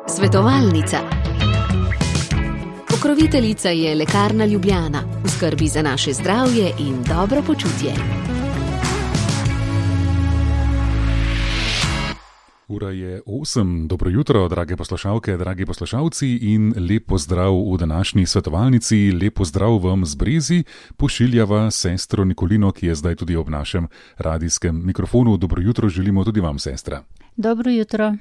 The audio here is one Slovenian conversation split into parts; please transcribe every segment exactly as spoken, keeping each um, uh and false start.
Svetovalnica. Pokroviteljica je Lekarna Ljubljana, v skrbi za naše zdravje in dobro počutje. Ura je osem. Dobro jutro, drage poslušalke, dragi poslušalci in lep pozdrav v današnji svetovalnici. Lep pozdrav vam z Brezi, pošiljava sestro Nikolino, ki je zdaj tudi ob našem radijskem mikrofonu. Dobro jutro želimo tudi vam, sestra. Dobro jutro.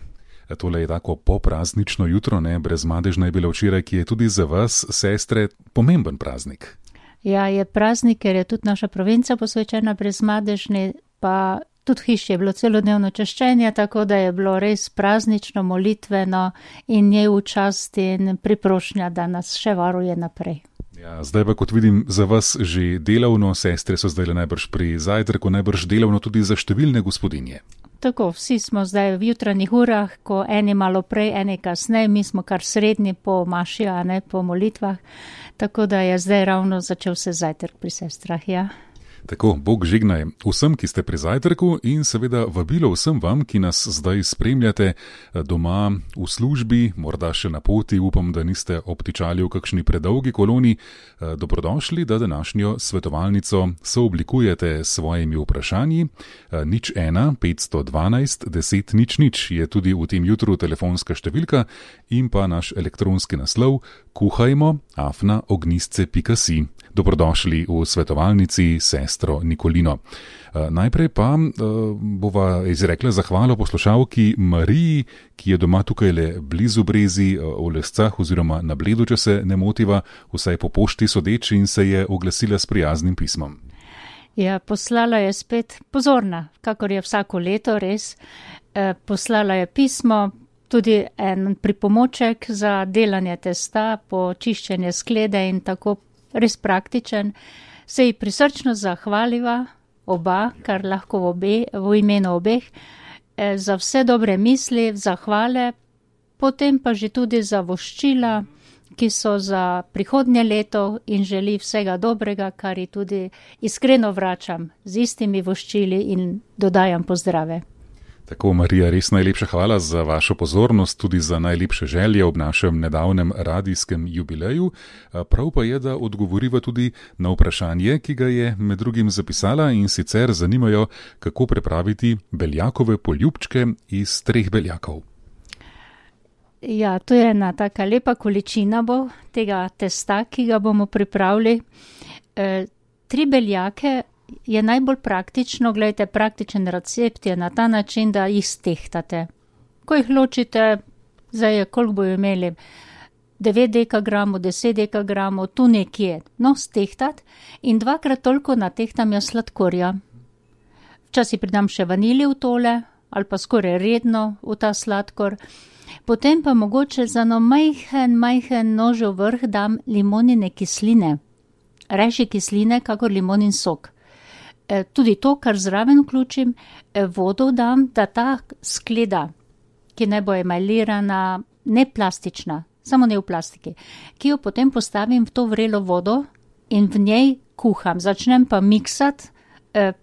Tole je tako popraznično jutro, ne, brezmadežna je bila včeraj, ki je tudi za vas, sestre, pomemben praznik. Ja, je praznik, ker je tudi naša provinca posvečena brezmadežni, pa tudi hiši je bilo celodnevno češčenje, tako da je bilo res praznično, molitveno in njej v čast in priprošnja, da nas še varuje naprej. Ja, zdaj pa, kot vidim, za vas že delavno, sestre so zdaj najbrž pri zajtrku, najbrž delavno tudi za številne gospodinje. Tako, vsi smo zdaj v jutranjih urah, ko eni malo prej, eni kasneje, mi smo kar srednji po maši, a ne po molitvah, tako da je zdaj ravno začel se zajtrk pri sestrah, ja. Tako, Bog žignaj vsem, ki ste pri zajtrku in seveda vabilo vsem vam, ki nas zdaj spremljate doma v službi, morda še na poti, upam, da niste obtičali v kakšni predolgi koloni. Dobrodošli, da današnjo svetovalnico sooblikujete s svojimi vprašanji. Nič ena, petsto dvanajst, deset nič nič je tudi v tem jutru telefonska številka in pa naš elektronski naslov kuhajmo afna ognistce pika si. Dobrodošli v svetovalnici sestro Nikolino. Najprej pa bova izrekla zahvalo poslušalki Mariji, ki je doma tukaj le blizu Brezi, v Lescah oziroma na Bledu, če se ne motiva, vsaj po pošti sodeč in se je oglasila s prijaznim pismom. Ja, poslala je spet pozorna, kakor je vsako leto res. Poslala je pismo, tudi en pripomoček za delanje testa, počiščenje sklede in tako res praktičen. Se ji prisrčno zahvaliva oba, kar lahko v, obe, v imenu obeh, za vse dobre misli, zahvale, potem pa že tudi za voščila, ki so za prihodnje leto in želi vsega dobrega, kar ji tudi iskreno vračam z istimi voščili in dodajam pozdrave. Tako, Marija, res najlepša hvala za vašo pozornost, tudi za najlepše želje ob našem nedavnem radijskem jubileju. Prav pa je, da odgovoriva tudi na vprašanje, ki ga je med drugim zapisala in sicer zanimajo, kako prepraviti beljakove poljubčke iz treh beljakov. Ja, to je ena taka lepa količina bo tega testa, ki ga bomo pripravili. E, tri beljake je najbolj praktično, gledajte, praktičen recept je na ta način, da jih stehtate. Ko jih ločite, zdaj je, koliko bojo imeli, devet dekagramov, deset dekagramov, tu nekje, no, stehtat in dvakrat toliko natehtam jaz sladkorja. Včasih pridam še vanilje v tole, ali pa skoraj redno v ta sladkor. Potem pa mogoče za no majhen, majhen nožev vrh dam limonine kisline. Rajši kisline, kakor limonin sok. Tudi to, kar zraven vključim, vodo dam, da ta skleda, ki ne bo emajlirana, ne plastična, samo ne v plastiki, ki jo potem postavim v to vrelo vodo in v njej kuham. Začnem pa miksati,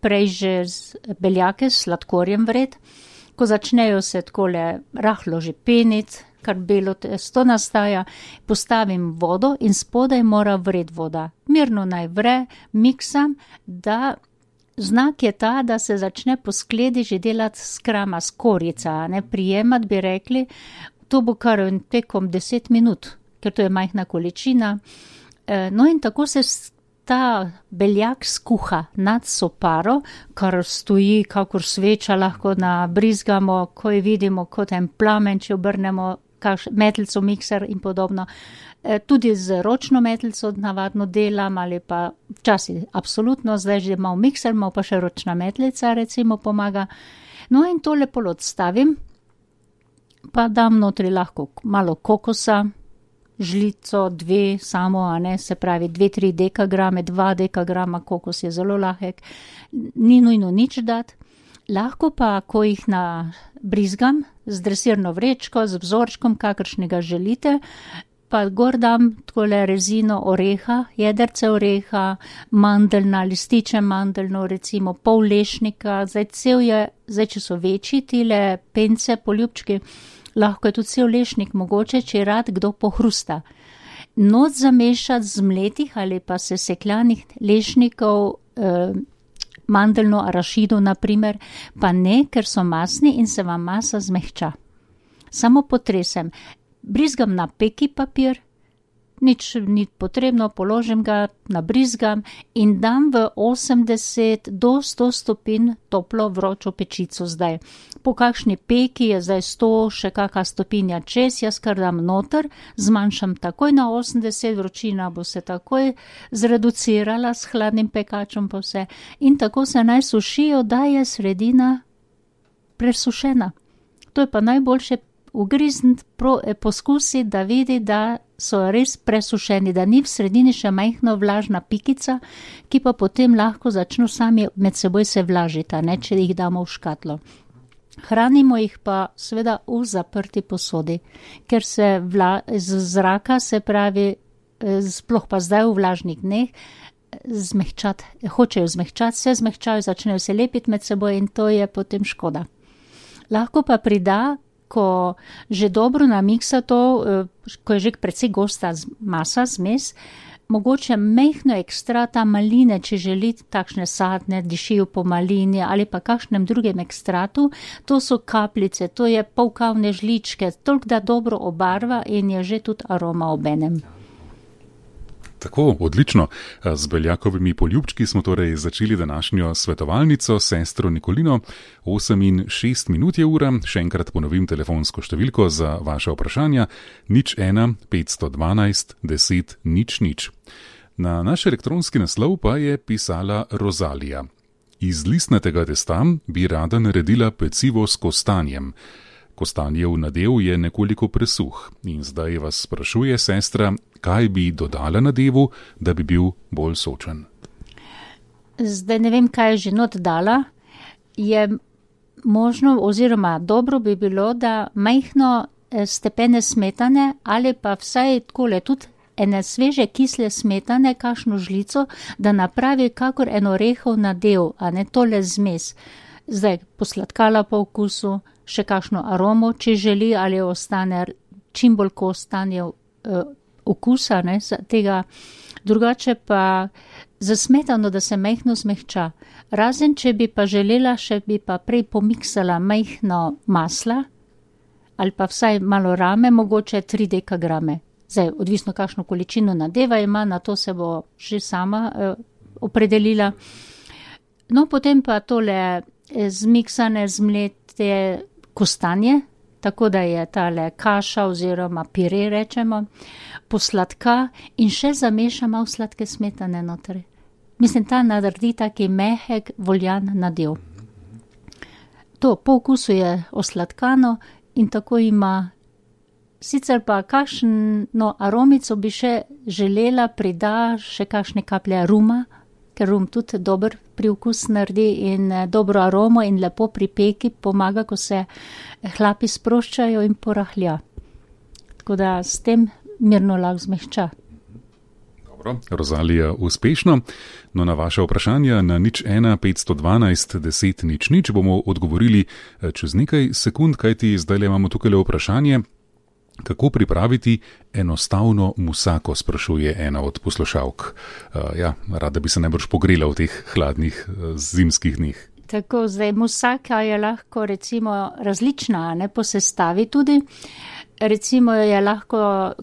prej že z beljake s sladkorjem vred. Ko začnejo se takole rahlo že peniti, kar belo testo nastaja, postavim vodo in spodaj mora vred voda. Mirno naj vre, miksam, da znak je ta, da se začne po skledi že delati skrama, skorica, ne prijemati, bi rekli. To bo kar tekom deset minut, ker to je majhna količina. No in tako se ta beljak skuha nad soparo, kar stoji kakor sveča, lahko nabrizgamo, ko jo vidimo kot en plamen, če obrnemo metlico, mikser in podobno. Tudi z ročno metlico navadno delam ali pa včasih absolutno, zdaj že malo mikser, malo pa še ročna metlica recimo pomaga. No in to lepo odstavim, pa dam notri lahko malo kokosa, žlico, dve samo, a ne, se pravi dve, tri dekagrame, dva dekagrama, kokos je zelo lahek, ni nujno nič dati. Lahko pa, ko jih nabrizgam z dresirno vrečko, z vzorčkom, kakršnega želite, pa gor dam takole rezino oreha, jedrce oreha, mandeljna, lističe mandeljno, recimo pol lešnika, zdaj cel je, zdaj če so večji tile pence, poljubčki, lahko je tudi cel lešnik mogoče, če je rad kdo pohrusta. Noč zamešati z mletih ali pa sesekljanih lešnikov, eh, mandeljno arašido naprimer, pa ne, ker so masni in se vam masa zmehča. Samo potresem. Brizgam na peki papir, nič ni potrebno, položim ga, nabrizgam in dam v osemdeset do sto stopinj toplo vročo pečico zdaj. Po kakšni peki je zdaj sto, še kakšna stopinja čez, jaz kar dam noter, zmanjšam takoj na osemdeset, vročina bo se takoj zreducirala s hladnim pekačem pa vse in tako se naj sušijo, da je sredina presušena. To je pa najboljše ugrizniti, poskusiti, da vidi, da so res presušeni, da ni v sredini še majhno vlažna pikica, ki pa potem lahko začnu sami med seboj se vlažiti, ne, če jih damo v škatlo. Hranimo jih pa seveda v zaprti posodi, ker se vla, z zraka, se pravi, sploh pa zdaj v vlažnih dneh, zmehčati, hočejo zmehčati, se zmehčajo, začnejo se lepiti med seboj in to je potem škoda. Lahko pa prida, ko že dobro namiksa to, ko je že precej gosta masa, zmes, mogoče mehno ekstrata maline, če želite takšne sadne, dišijo po malini ali pa kakšnem drugem ekstratu, to so kapljice, to je pol kavne žličke, toliko da dobro obarva in je že tudi aroma obenem. Tako, odlično. Z beljakovimi poljubčki smo torej začeli današnjo svetovalnico s sestro Nikolino. osem in šest minut je ura, še enkrat ponovim telefonsko številko za vaše vprašanja, nič ena petsto dvanajst deset nič nič. Na naš elektronski naslov pa je pisala Rozalija. Iz listnatega testa bi rada naredila pecivo s kostanjem. Kostanjev nadev je nekoliko presuh in zdaj vas sprašuje sestra, kaj bi dodala nadevu, da bi bil bolj sočen. Zdaj ne vem, kaj je že not dala. Je možno oziroma dobro bi bilo, da majhno stepene smetane ali pa vsaj takole tudi ene sveže kisle smetane, kakšno žlico, da napravi kakor en orehov nadev, a ne tole zmes. Zdaj posladkala po okusu, še kakšno aromo, če želi, ali ostane čim bolj ko ostane uh, okusa, ne, tega. Drugače pa za smetano, da se majhno zmehča. Razen, če bi pa želela, še bi pa prej pomiksala majhno masla, ali pa vsaj malo rame, mogoče tri dekagrame. Zdaj, odvisno kakšno količino nadeva ima, na to se bo že sama uh, opredelila. No, potem pa tole zmiksane, zmlete kostanje, tako da je tale kaša oziroma pire, rečemo, posladka in še zameša malo sladke smetane notri. Mislim, ta naredi taki mehek, voljan nadev. To po okusu je osladkano in tako ima. Sicer pa kakšno aromico bi še želela, prida še kakšne kaplje ruma, ker rum tudi dober priokus naredi in dobro aromo in lepo pri peki pomaga, ko se hlapi sproščajo in porahlja. Tako da s tem mirno lahko zmehča. Dobro, Rozalija, uspešno. No, na vaše vprašanja na nič ena petsto dvanajst deset nič nič bomo odgovorili čez nekaj sekund, kajti zdaj imamo tukaj vprašanje, kako pripraviti enostavno musako, sprašuje ena od poslušalk. Uh, ja, rada bi se najbrž pogrela v teh hladnih uh, zimskih dneh. Tako, zdaj musaka je lahko recimo različna, ne, po sestavi tudi. Recimo je lahko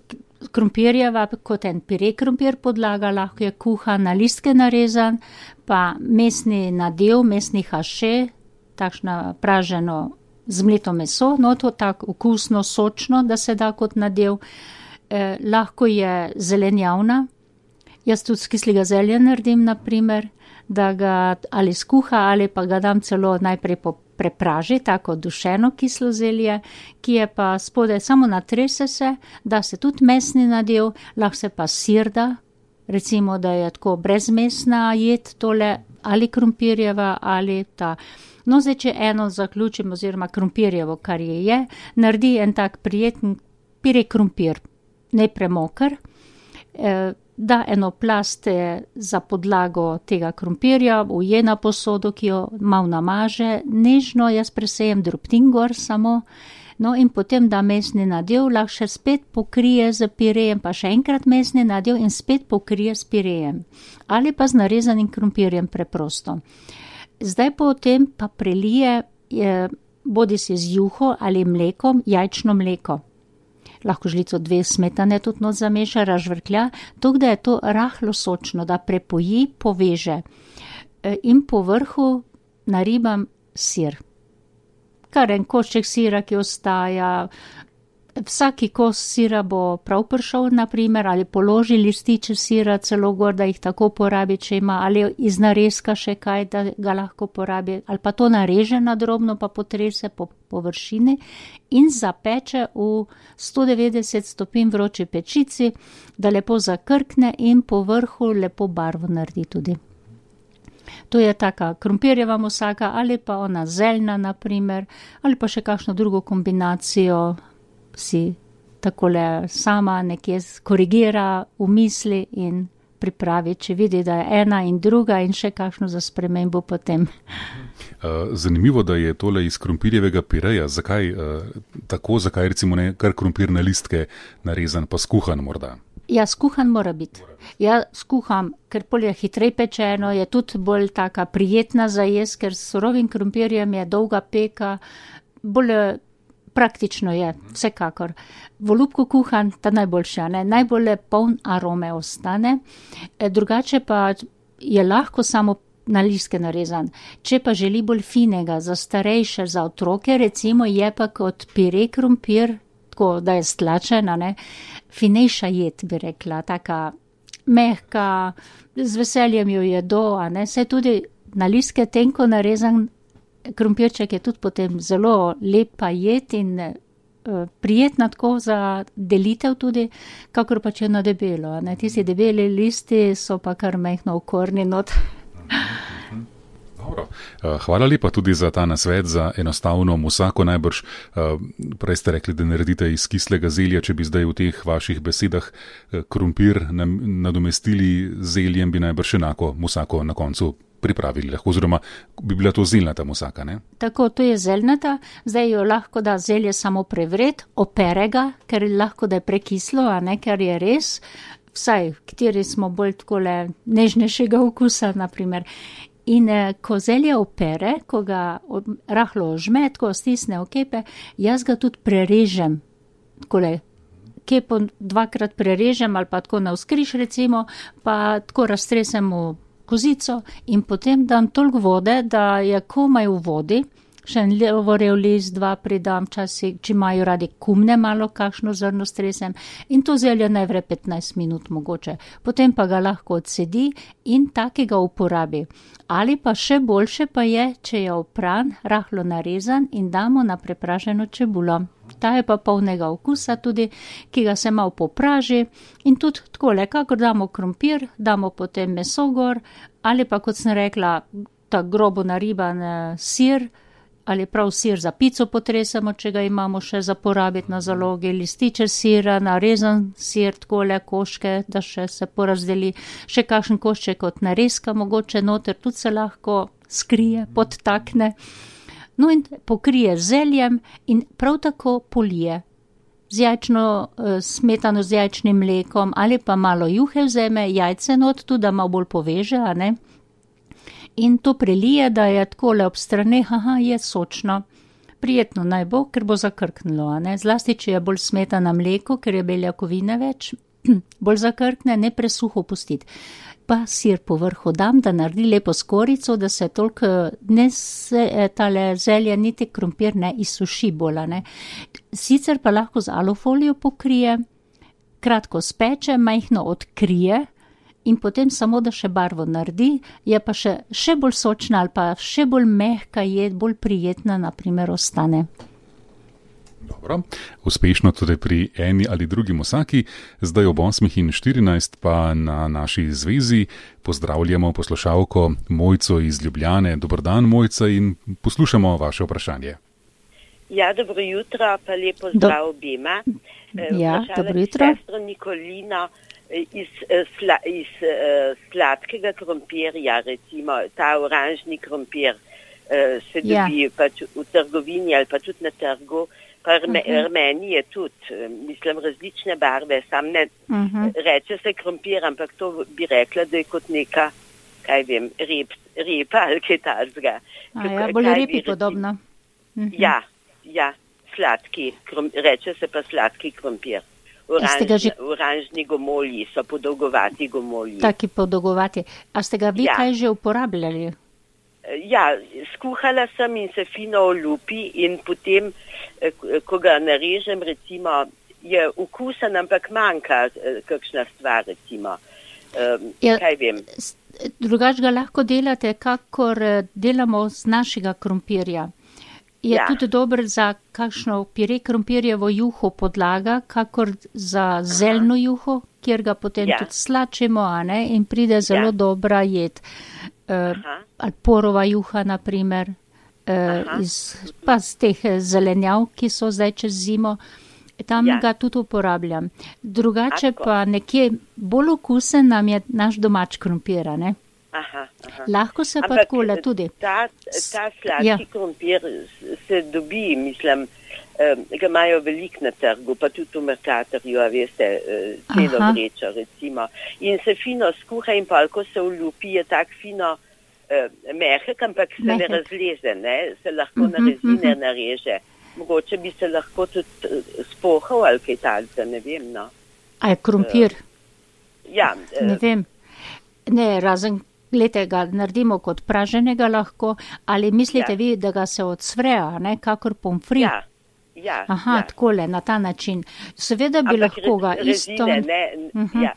krompirjeva, kot en pire krompir podlaga, lahko je kuhan na listke narezan, pa mesni nadev, mesni haše, takšna praženo zmleto meso, no to tako okusno, sočno, da se da kot nadev. Eh, lahko je zelenjavna. Jaz tudi z kislega zelja naredim, naprimer, da ga ali skuha ali pa ga dam celo najprej prepraži, tako dušeno kislo zelje, ki je pa spodaj samo natrese se, da se tudi mesni nadev, lahko se pa sir da, recimo, da je tako brezmesna jed tole, ali krompirjeva, ali ta. No, zdaj, če eno zaključim, oziroma krompirjevo, kar je je, naredi en tak prijeten pire krompir. ne premokr, da eno plast za podlago tega krompirja, uje na posodo, ki jo malo namaže, nežno jaz presejem drobtin gor samo, no in potem da mesni nadev, lahko še spet pokrije z pirejem, pa še enkrat mesni nadev in spet pokrije s pirejem. Ali pa z narezanim krompirjem preprosto. Zdaj potem pa prelije bodi si z juho ali mlekom, jajčno mleko. Lahko žlico dve smetane tudi not zameša, razžvrklja, tako da je to rahlo sočno, da prepoji, poveže. In po vrhu naribam sir. Kar en košček sira, ki ostaja, vsaki kos sira bo prav prišel, naprimer, ali položi lističe sira celo gor, da jih tako porabi, če ima, ali iz narezka še kaj, da ga lahko porabi, ali pa to nareže na drobno, pa potrese po površini in zapeče v sto devetdeset stopinj vroči pečici, da lepo zakrkne in po vrhu lepo barvo naredi tudi. To je taka krompirjeva musaka ali pa ona zeljna, naprimer, ali pa še kakšno drugo kombinacijo si takole sama nekje korigira v misli in pripravi, če vidi, da je ena in druga in še kakšno za spremembo potem. Zanimivo, da je tole iz krompirjevega pireja. Zakaj tako, zakaj recimo ne kar krompir na listke narezan pa skuhan morda? Ja, skuhan mora biti. Ja, skuham, ker pol je hitrej pečeno, je tudi bolj taka prijetna za jesti, ker s surovim krompirjem je dolga peka, bolj praktično je, vsekakor. V olupku kuhan, ta najboljša, ne, najbolj poln arome ostane, drugače pa je lahko samo na listke narezan. Če pa želi bolj finega, za starejše, za otroke, recimo je pa kot pire krompir, tako da je stlačena, ne, finejša jed, bi rekla, taka mehka, z veseljem jo jedo, a ne, se tudi na listke tenko narezan krompirček je tudi potem zelo lepa jed in uh, prijetna tako za delitev tudi, kakor pa če na debelo. Ne? Tisti debeli listi so pa kar mehno v korni not. Dobro. Hvala lepa tudi za ta nasvet, za enostavno musako najbrž. Prej ste rekli, da naredite iz kislega zelja, če bi zdaj v teh vaših besedah krompir nadomestili zeljem, bi najbrž enako musako na koncu pripravili, lahko, oziroma bi bila to zeljnata musaka, ne? Tako, to je zeljnata, zdaj jo lahko da zelje samo prevret, opere ga, ker lahko da je prekislo, a ne, ker je res, vsaj, kateri smo bolj takole nežnejšega okusa, naprimer. In eh, ko zelje opere, ko ga rahlo ožme, ko stisne v kepe, jaz ga tudi prerežem, takole, kepo dvakrat prerežem ali pa tako navzkriž recimo, pa tako raztresem v kozico in potem dam toliko vode, da je komaj v vodi, še en levorel list, dva pridam časih, če imajo radi kumne malo, kakšno zrno stresem in to zelje najvre petnajst minut mogoče. Potem pa ga lahko odsedi in takega uporabi. Ali pa še boljše pa je, če je opran, rahlo narezan in damo na prepraženo čebulo. Ta je pa polnega okusa tudi, ki ga se malo popraži in tudi takole, kakor damo krompir, damo potem meso gor ali pa, kot sem rekla, ta grobo nariban sir ali prav sir za pico potresemo, če ga imamo še za porabiti na zalogi, lističe sira, narezan sir, takole koške, da še se porazdeli, še kakšen košček od narezka, mogoče noter tudi se lahko skrije, podtakne. No in pokrije zeljem in prav tako polije. Z jajčno smetano, z jajčnim mlekom ali pa malo juhe vzeme, jajce not, tudi da malo bolj poveže, a ne? In to prelije, da je takole ob straneh, aha, je sočno. Prijetno naj bo, ker bo zakrknilo, a ne? Zlasti, če je bolj smetana mleko, ker je beljakovine več, bolj zakrkne, ne presuho pustiti. Pa sir po vrhu dam, da naredi lepo skorico, da se toliko ne se, tale zelje, niti krompir ne izsuši bolj, ne. Sicer pa lahko z alufolijo pokrije, kratko speče, majhno odkrije in potem samo, da še barvo naredi, je pa še, še bolj sočna ali pa še bolj mehka jed, bolj prijetna, naprimer, ostane. Dobro, uspešno tudi pri eni ali drugi musaki, zdaj ob osmih in štirinajst pa na naši zvezi pozdravljamo poslušalko Mojco iz Ljubljane. Dober dan, Mojca, in poslušamo vaše vprašanje. Ja, dobro jutro, pa lepo zdrav obima. Ja, dobro jutro. Sestro Nikolino iz, sla, iz uh, sladkega krompirja, recimo ta oranžni krompir uh, se Ja. dobi pač v trgovini ali pa tudi na trgu. Pa rme, Mhm. rmeni je tudi, eh, mislim, različne barve, sam ne Mhm. reče se krompir, ampak to bi rekla, da je kot neka, kaj vem, rep, repa ali kaj takega. A ja, Kaj- bolj kaj bi repi reci- podobno. Mhm. Ja, ja, sladki, krom, reče se pa sladki krompir. ste ga Oranžni, že- oranžni gomolji so podolgovati gomolji. Taki podolgovati. A ste ga vi Ja. kaj že uporabljali? Ja, skuhala sem in se fino olupi in potem, eh, ko ga narežem, recimo, je okusen, ampak manjka eh, kakšna stvar, recimo. Um, Ja. Kaj vem? S- Drugač ga lahko delate, kakor eh, delamo z našega krompirja. Je Ja. tudi dober za kakšno pire krompirjevo juho podlaga, kakor za zeljno juho, kjer ga potem Ja. tudi slačimo, a ne, in pride zelo Ja. dobra jed. Uh, Aha. ali porova juha, na primer, uh, Aha. iz, pa z teh eh, zelenjav, ki so zdaj čez zimo. Tam Ja. ga tudi uporabljam. Drugače Tako. pa nekje bolj okusen nam je naš domač krompir, a ne. Aha, aha. Lahko se pa Ampak takole tudi. Ta, ta sladki Ja. krompir se dobi, mislim, eh, ga imajo veliko na trgu, pa tudi v Mercatorju, a veste, eh, celo Aha. vrečo recimo. In se fino skuha in pa, ko se ulupi, je tak fino eh, mehek, ampak se Mehek. ne razleze, ne? Se lahko Mhm, na rezine mhm. nareže. Mogoče bi se lahko tudi eh, spohal ali kaj takega, ne vem, no. A je krompir? Ja, eh, Ne vem. Ne, razen, glejte, ga naredimo kot praženega lahko, ali mislite Ja. vi, da ga se odsvre, a ne, kakor pomfri? ja, ja. Aha, ja. takole, na ta način. Seveda bi Ampak lahko ga rez- isto... rezine, ne, Mhm. ja.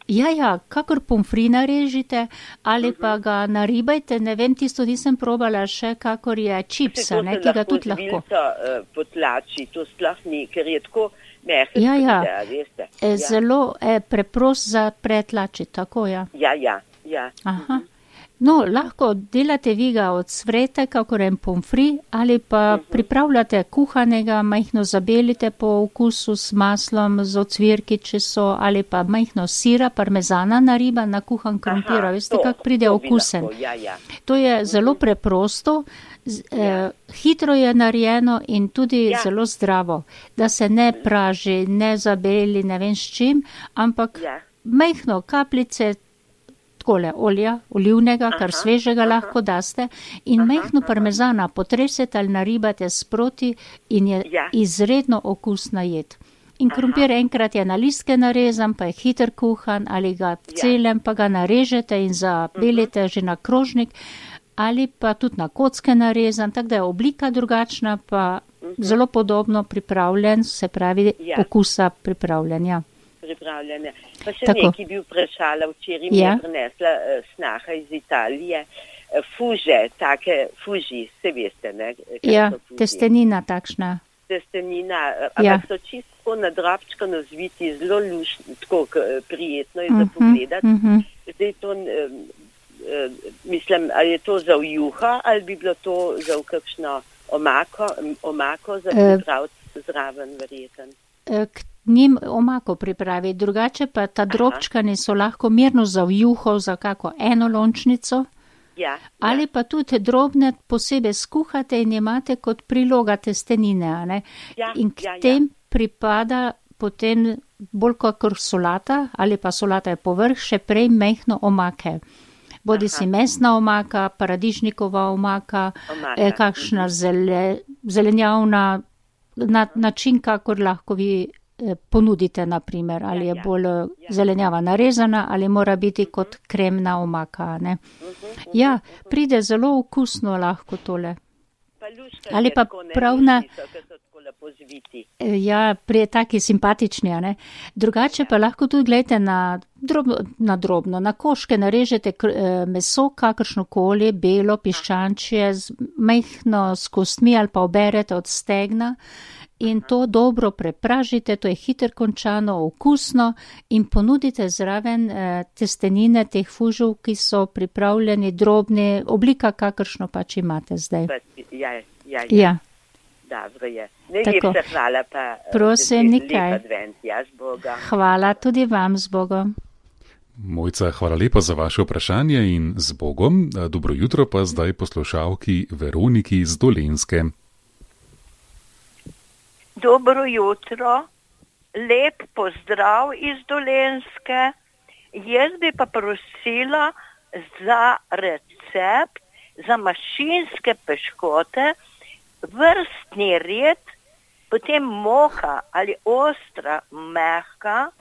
Ja, ja, kakor pomfri narežite, ali pa ga naribajte, ne vem, tisto nisem probala še, kakor je čipsa, ne, ki ga tudi lahko. Vilco, uh, potlači, to sploh ni, ker je tako mehek, Ja, ja. da, veste. E, Ja. Zelo e, preprost za pretlačiti, tako ja. Ja, ja, ja. Aha. No, lahko delate vi ga od svete, kakor en pomfri, ali pa Mhm. pripravljate kuhanega, majhno zabelite po okusu s maslom, z ocvirki, če so, ali pa majhno sira, parmezana nariba na kuhan krompir. Aha, Veste, to- kak pride to bi okusen. lahko, Ja, ja. To je zelo preprosto, z, Ja. eh, hitro je narejeno in tudi Ja. zelo zdravo, da se ne praži, ne zabeli, ne vem s čim, ampak Ja. majhno kapljice takole olja, olivnega, Aha, kar svežega aha. lahko daste, in Aha, majhno aha. parmezana potresete ali naribate sproti in je Ja. izredno okusna jed. In Aha. krompir enkrat je na listke narezan, pa je hiter kuhan, ali ga v Ja. celem, pa ga narežete in zabelite že na krožnik, ali pa tudi na kocke narezan, tako da je oblika drugačna, pa zelo podobno pripravljen, se pravi Ja. okusa pripravljen. Ja. Pripravljene. Pa še Tako. nekaj bi vprašala, včeraj mi Ja. je prinesla uh, snaha iz Italije, uh, fuže, take fuži, se veste, ne? kaj Ja, so fuži? testenina takšna. Testenina, uh, Ja. ampak so čisto na drobčko nazviti, zelo lušni, tako k- prijetno je za Mhm, pogledati. mhm. Zdaj to, um, uh, mislim, ali je to za v juho, ali bi bilo to za v kakšno omako, omako za Eh. pripraviti zraven, verjeten. Eh, K njim omako pripravi, drugače pa ta drobčkani so lahko mirno za v juho, za kako eno lončnico, Ja, ali pa tudi drobne posebej skuhate in imate kot priloga testenine, a ne? Ja, In k ja, ja. tem pripada potem bolj kakor solata, ali pa solata je povrh, še prej mehno omake. Bodi si mesna omaka, paradižnikova omaka, Omaka, eh, kakšna zele, zelenjavna, na, način, kakor lahko vi eh, ponudite, naprimer, ali je ja. bolj eh, zelenjava narezana, ali mora biti kot kremna omaka. Ne? Ja, pride zelo okusno lahko tole. Pa luška Ali je pa tako, ne, prav na- lušni so, ker so tako lepo zviti. Eh, Ja, pri taki simpatični, a ne. Drugače pa lahko tudi gledajte na drobno, na drobno, na koške narežete kr- eh, meso, kakršno koli, belo, piščančje, z majhno s kostmi ali pa oberete od stegna in to dobro prepražite, to je hiter končano, okusno in ponudite zraven eh, testenine teh fužov, ki so pripravljeni drobni, oblika kakršno pač imate zdaj. Pa, ja, ja, ja. Ja. Dobro je. Najlepša hvala pa. Prosim, nikaj. Advent, ja, z Bogom. Hvala tudi vam z Bogom. Mojca, hvala lepa za vaše vprašanje in z Bogom. Dobro jutro pa zdaj poslušalki Veroniki z Dolenjske. Dobro jutro, lep pozdrav iz Dolenjske. Jaz bi pa prosila za recept za mašinske piškote, vrstni red, potem moka ali ostra, mehka,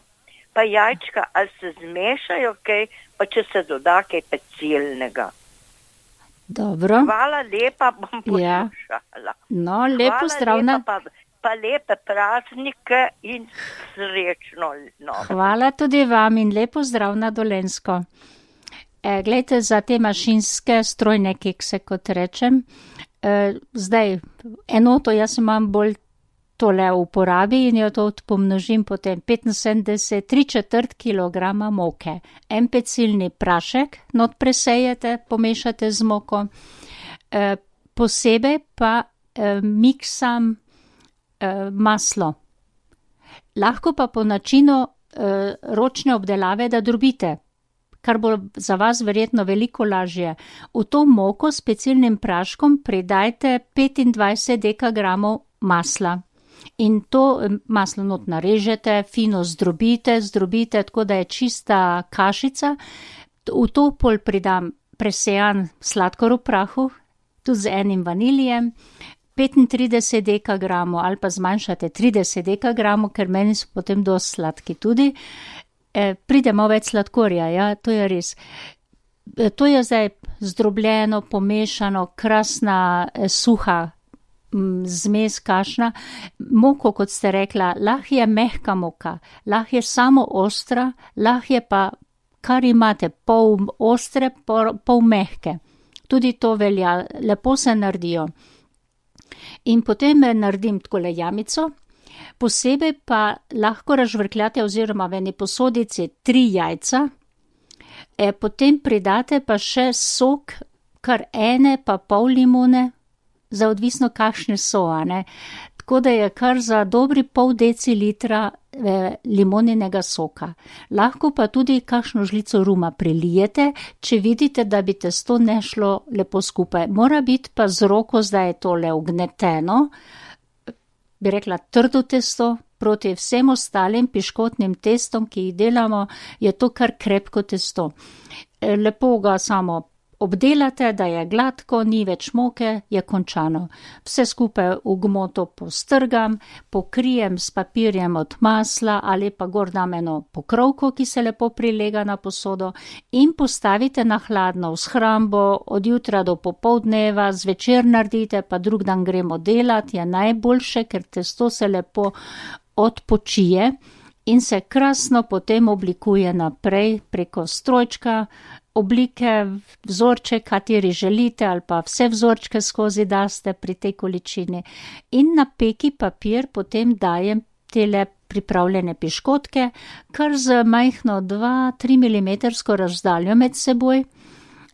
pa jajčka, ali se zmešajo kaj, pa če se doda kaj pecilnega. Dobro. Hvala lepa, bom poslušala. Ja. No, lepo zdravna. Pa, pa lepe praznike in srečno. No. Hvala tudi vam in lepo zdrav na Dolenjsko. E, glejte, za te mašinske strojne kekse, kot rečem, e, zdaj enoto jaz imam bolj tole v uporabi in jo to pomnožim potem petinsedemdeset, tri četrt kilograma moke. En pecilni prašek, not presejete, pomešate z moko. E, posebej pa e, miksam e, maslo. Lahko pa po načinu e, ročne obdelave, da drobite, kar bo za vas verjetno veliko lažje. V to moko s pecilnim praškom pridajte petindvajset dekagramov masla. In to maslo not narežete, fino zdrobite, zdrobite, tako da je čista kašica. V to pol pridam presejan sladkor v prahu, tudi z enim vaniljem, petintrideset dekagramov ali pa zmanjšate trideset dekagramov, ker meni so potem dosti sladki tudi. E, pridemo več sladkorja, ja, to je res. E, to je zdaj zdrobljeno, pomešano, krasna, e, suha zmes kašna. Moko, kot ste rekla, lahko je mehka moka, lahko je samo ostra, lahko je pa, kar imate, pol ostre, pol, pol mehke. Tudi to velja, lepo se naredijo. In potem naredim takole jamico, posebej pa lahko razžvrkljate oziroma v eni posodici tri jajca, e, potem pridate pa še sok, kar ene pa pol limone, za odvisno kakšne so, ne. Tako da je kar za dobri pol decilitra eh, limoninega soka. Lahko pa tudi kakšno žlico ruma prelijete, če vidite, da bi testo ne šlo lepo skupaj. Mora biti pa z roko, zdaj je tole ugneteno, bi rekla trdo testo, proti vsem ostalim piškotnim testom, ki jih delamo, je to kar krepko testo. E, lepo ga samo obdelate, da je gladko, ni več moke, je končano. Vse skupaj v gmoto postrgam, pokrijem s papirjem od masla ali pa gor dam eno pokrovko, ki se lepo prilega na posodo in postavite na hladno v shrambo od jutra do popoldneva, zvečer naredite, pa drug dan gremo delati, je najboljše, ker testo se lepo odpočije in se krasno potem oblikuje naprej preko strojčka, oblike, vzorče, kateri želite, ali pa vse vzorčke skozi daste pri tej količini. In na peki papir potem dajem tele pripravljene piškotke, kar z majhno dva do tri milimetrsko razdaljo med seboj,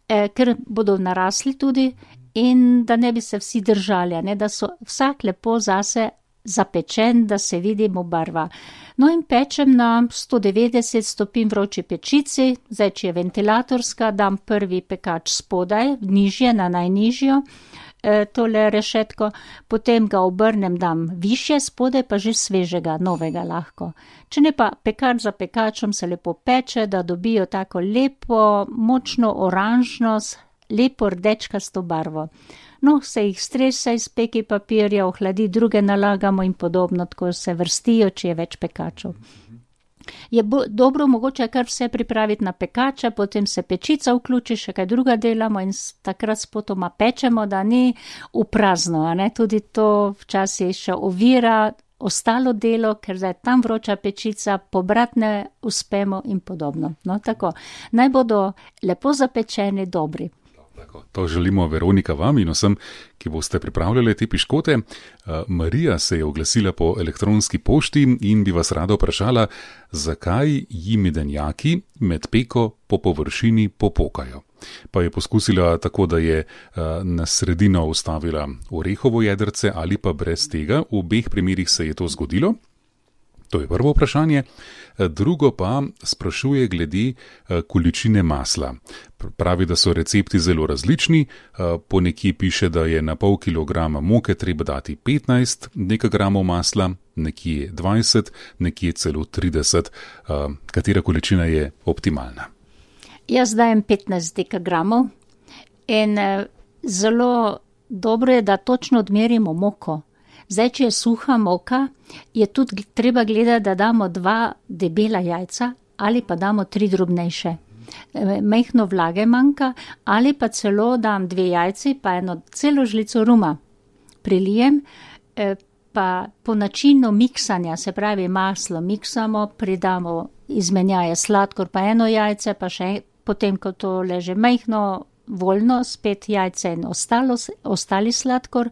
eh, ker bodo narasli tudi in da ne bi se vsi držali, ne, da so vsak lepo zase zapečen, da se vidimo barva. No in pečem na sto devetdeset stopinj vroči pečici, zdaj če je ventilatorska, dam prvi pekač spodaj, nižje na najnižjo, e, tole rešetko, potem ga obrnem, dam višje, spodaj pa že svežega, novega lahko. Če ne pa pekač za pekačem se lepo peče, da dobijo tako lepo, močno oranžno, lepo rdečkasto barvo. No, se jih stresa iz peki papirja, ohladi, druge nalagamo in podobno, tako se vrstijo, če je več pekačev. Je bo, dobro mogoče kar vse pripraviti na pekača, potem se pečica vključi, še kaj druga delamo in takrat spotoma pečemo, da ni v prazno, a ne, tudi to včasih še ovira ostalo delo, ker zdaj tam vroča pečica, pobrat ne uspemo in podobno. No, tako, naj bodo lepo zapečeni, dobri. To želimo, Veronika, vam in vsem, ki boste pripravljali te piškote. Marija se je oglasila po elektronski pošti in bi vas rada vprašala, zakaj ji medenjaki med peko po površini popokajo. Pa je poskusila tako, da je na sredino ustavila orehovo jedrce ali pa brez tega. V obeh primerih se je to zgodilo. To je prvo vprašanje. Drugo pa sprašuje glede količine masla. Pravi, da so recepti zelo različni. Po nekje piše, da je na pol kilograma moke treba dati petnajst dekagramov masla, nekje dvajset, nekje celo trideset. Katera količina je optimalna? Jaz dajem petnajst dekagramov in zelo dobro je, da točno odmerimo moko. Zdaj, če je suha moka, je tudi treba gledati, da damo dva debela jajca ali pa damo tri drobnejše. Majhno vlage manjka ali pa celo dam dve jajci pa eno celo žlico ruma. Prilijem, pa po načinu miksanja, se pravi maslo miksamo, pridamo izmenjaje sladkor pa eno jajce, pa še potem, ko to leže majhno, voljno, spet jajce in ostalo, ostali sladkor.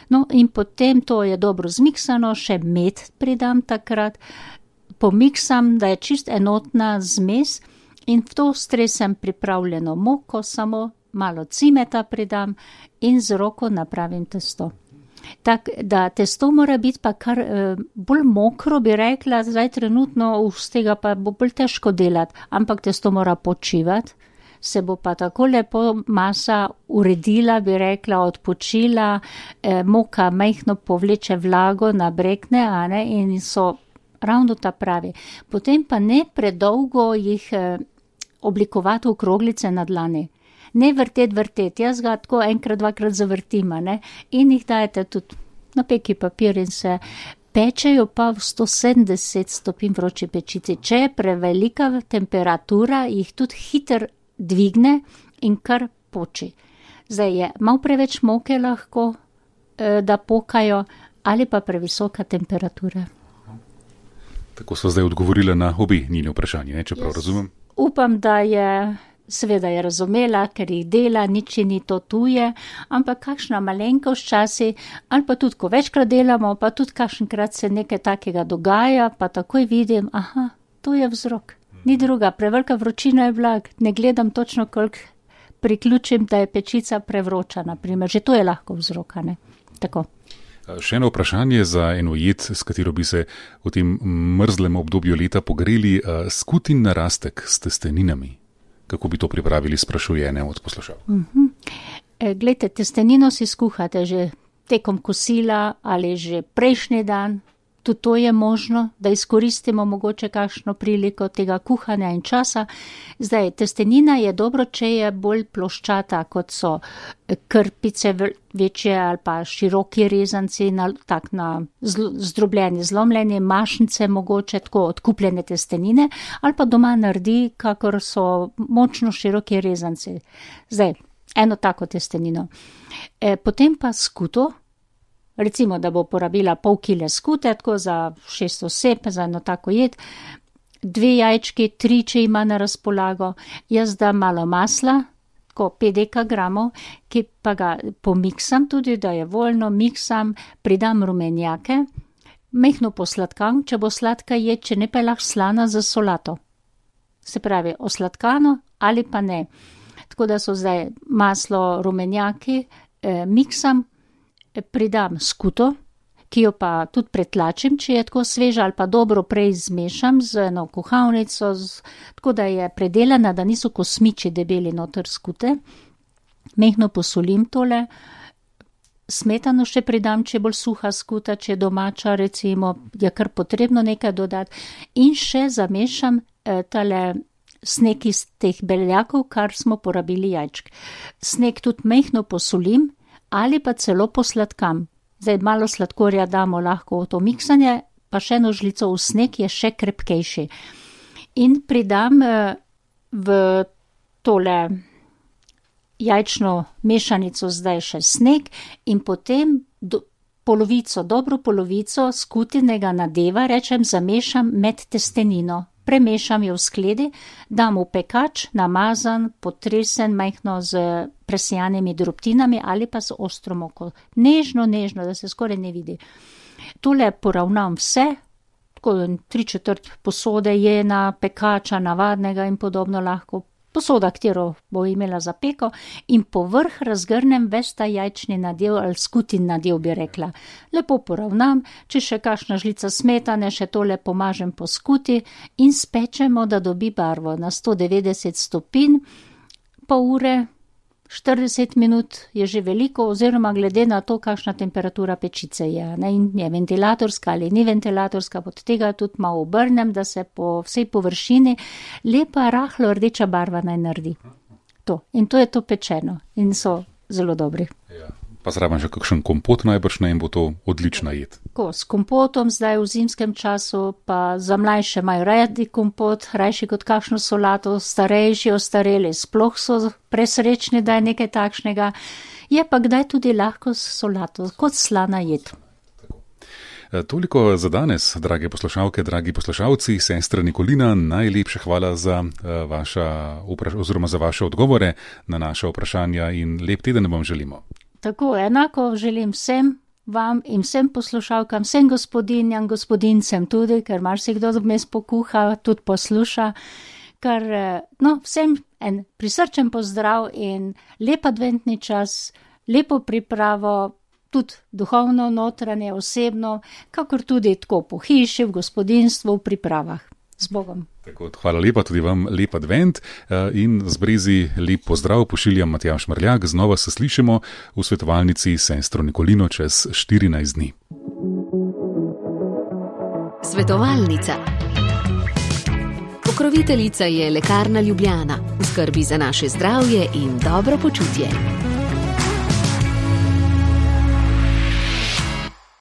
No, in potem to je dobro zmiksano, še med pridam takrat, pomiksam, da je čist enotna zmes in v to stresem pripravljeno moko, samo malo cimeta pridam in z roko napravim testo. Tak, da testo mora biti pa kar eh, bolj mokro, bi rekla, zdaj trenutno z tega pa bo bolj težko delati, ampak testo mora počivati. Se bo pa tako lepo masa uredila, bi rekla, odpočila, eh, moka majhno povleče vlago, nabrekne, a ne, in so ravno ta pravi. Potem pa ne predolgo jih eh, oblikovati v kroglice na dlani. Ne vrtet, vrtet, jaz ga tako enkrat, dvakrat zavrtim, a ne, in jih dajete tudi na peki papir in se pečejo pa v sto sedemdeset stopinj vroči pečici. Če je prevelika temperatura, jih tudi hiter dvigne in kar poči. Zdaj je malo preveč moke lahko, da pokajo, ali pa previsoka temperatura. Tako so zdaj odgovorila na obi njeni vprašanje, ne, čeprav razumem. Upam, da je, seveda je razumela, ker jih dela, nič ni to tuje, ampak kakšna malenkost časi, ali pa tudi, ko večkrat delamo, pa tudi kakšenkrat se nekaj takega dogaja, pa takoj vidim, aha, to je vzrok. Ni druga, prevelika vročina je blag, ne gledam točno, koliko priključim, da je pečica prevroča, naprimer, že to je lahko vzroka, ne, tako. Še eno vprašanje za eno jed, s katero bi se v tem mrzlem obdobju leta pogreli, skutin narastek s testeninami. Kako bi to pripravili, sprašuje ene od poslušalk? Uh-huh. E, glejte, testenino si skuhate že tekom kosila ali že prejšnji dan. Tudi to je možno, da izkoristimo mogoče kakšno priliko tega kuhanja in časa. Zdaj, testenina je dobro, če je bolj ploščata, kot so krpice večje ali pa široki rezanci, na, tak na zl, zdrobljeni, zlomljeni, mašnice mogoče, tako odkupljene testenine, ali pa doma naredi, kakor so močno široki rezanci. Zdaj, eno tako testenino. E, potem pa skuto. Recimo, da bo porabila pol kile skute, tako za šest oseb, za eno tako jed, dve jajčki, tri, če ima na razpolago, jaz dam malo masla, tako pet dekagramov, ki pa ga pomiksam tudi, da je voljno, miksam, pridam rumenjake, mehno posladkam, če bo sladka jed, če ne pa je lahko slana za solato. Se pravi, osladkano ali pa ne. Tako da so zdaj maslo, rumenjaki, eh, miksam, pridam skuto, ki jo pa tudi pretlačim, če je tako sveža, ali pa dobro prej zmešam z eno kuhalnico, z, tako da je predelana, da niso kosmiči debeli noter skute. Mehno posolim tole, smetano še pridam, če je bolj suha skuta, če je domača, recimo, je kar potrebno nekaj dodati. In še zamešam eh, tale sneg iz teh beljakov, kar smo porabili jajčk. Sneg tudi mehno posolim, ali pa celo posladkam. Zdaj malo sladkorja damo lahko v to miksanje, pa še eno žlico v sneg je še krepkejši. In pridam v tole jajčno mešanico zdaj še sneg in potem do, polovico, dobro polovico skutinega nadeva, rečem, zamešam med testenino. Premešam jo v skledi, dam v pekač, namazan, potresen, majhno z presijanimi drobtinami ali pa z ostro moko. Nežno, nežno, da se skoraj ne vidi. Tole poravnam vse, tako tri četrt posode je na pekača, navadnega in podobno lahko posoda, katero bo imela za peko, in povrh razgrnem ves ta jajčni nadev ali skutin nadev, bi rekla. Lepo poravnam, če še kakšna žlica smetane, še tole pomažem po skuti in spečemo, da dobi barvo na sto devetdeset stopinj, pol ure, štirideset minut je že veliko, oziroma glede na to, kakšna temperatura pečice je. Ne, in je ventilatorska ali ni ventilatorska, pod tega tudi malo obrnem, da se po vsej površini lepa, rahlo rdeča barva naj naredi. To. In to je to pečeno in so zelo dobri. Ja. Pa zraven že kakšen kompot najbrž, ne, in bo to odlična jed. Ko, s kompotom zdaj v zimskem času, pa za mlajše imajo radi kompot, rajši kot kakšno solato, starejši, ostareli, sploh so presrečni, da je nekaj takšnega. Je pa kdaj tudi lahko s solato, kot slana jed. Toliko za danes, drage poslušalke, dragi poslušalci. Sestra Nikolina, najlepša hvala za vaša, oziroma za vaše odgovore na naša vprašanja in lep teden vam želimo. Tako, enako želim vsem vam in vsem poslušalkam, vsem gospodinjam, gospodincem tudi, ker marsikdo vmes pokuha, tudi posluša, ker no, vsem en prisrčen pozdrav in lep adventni čas, lepo pripravo, tudi duhovno, notranje, osebno, kakor tudi tako po hiši, v gospodinstvu, v pripravah. Z Bogom. Tako, hvala lepa, tudi vam lep advent in z brezi lep pozdrav pošiljam Matjaž Mrljak. Znova se slišimo v svetovalnici sestro Nikolino čez štirinajst dni. Svetovalnica. Pokroviteljica je Lekarna Ljubljana. V skrbi za naše zdravje in dobro počutje.